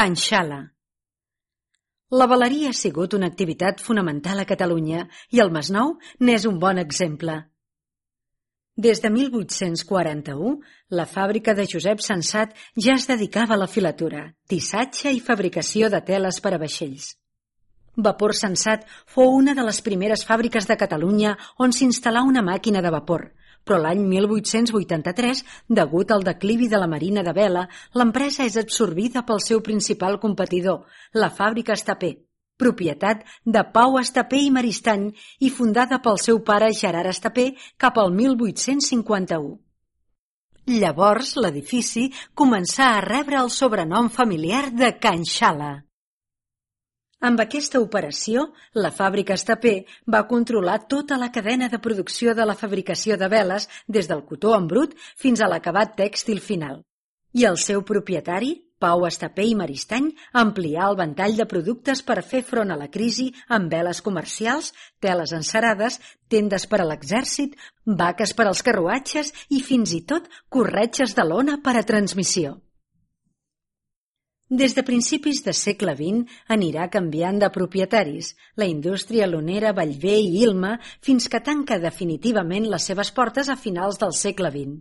Can Xala. La veleria ha sigut una activitat fonamental a Catalunya i el Masnou n'és un bon exemple. Des de 1841, la fàbrica de Josep Sensat ja es dedicava a la filatura, tissatge i fabricació de teles per a vaixells. Vapor Sensat fou una de les primeres fàbriques de Catalunya on s'instal·là una màquina de vapor, però l'any 1883, degut al declivi de la marina de vela, l'empresa és absorbida pel seu principal competidor, la fàbrica Estapé, propietat de Pau Estapé i Maristany i fundada pel seu pare Gerard Estapé cap al 1851. Llavors, l'edifici començà a rebre el sobrenom familiar de Can Xala. Amb aquesta operació, la fàbrica Estapé va controlar tota la cadena de producció de la fabricació de veles des del cotó en brut fins a l'acabat tèxtil final. I el seu propietari, Pau Estapé i Maristany, amplià el ventall de productes per fer front a la crisi amb veles comercials, teles encerades, tendes per a l'exèrcit, vaques per als carruatges i fins i tot corretges de lona per a transmissió. Des de principis del segle XX anirà canviant de propietaris, la indústria lonera Bellver i Ilma, fins que tanca definitivament les seves portes a finals del segle XX.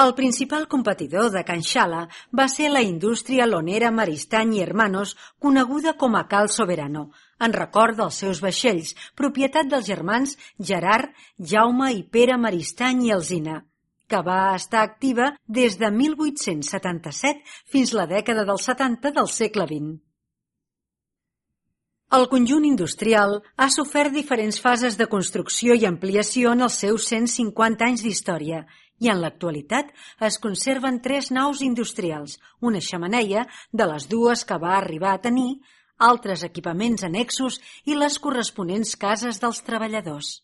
El principal competidor de Can Xala va ser la indústria lonera Maristany i Hermanos, coneguda com a Cal Soberano, en record dels seus vaixells, propietat dels germans Gerard, Jaume i Pere Maristany i Alsina, que va estar activa des de 1877 fins la dècada dels 70 del segle XX. El conjunt industrial ha sofert diferents fases de construcció i ampliació en els seus 150 anys d'història i en l'actualitat es conserven 3 naus industrials, una xemeneia, de les 2 que va arribar a tenir, altres equipaments annexos i les corresponents cases dels treballadors.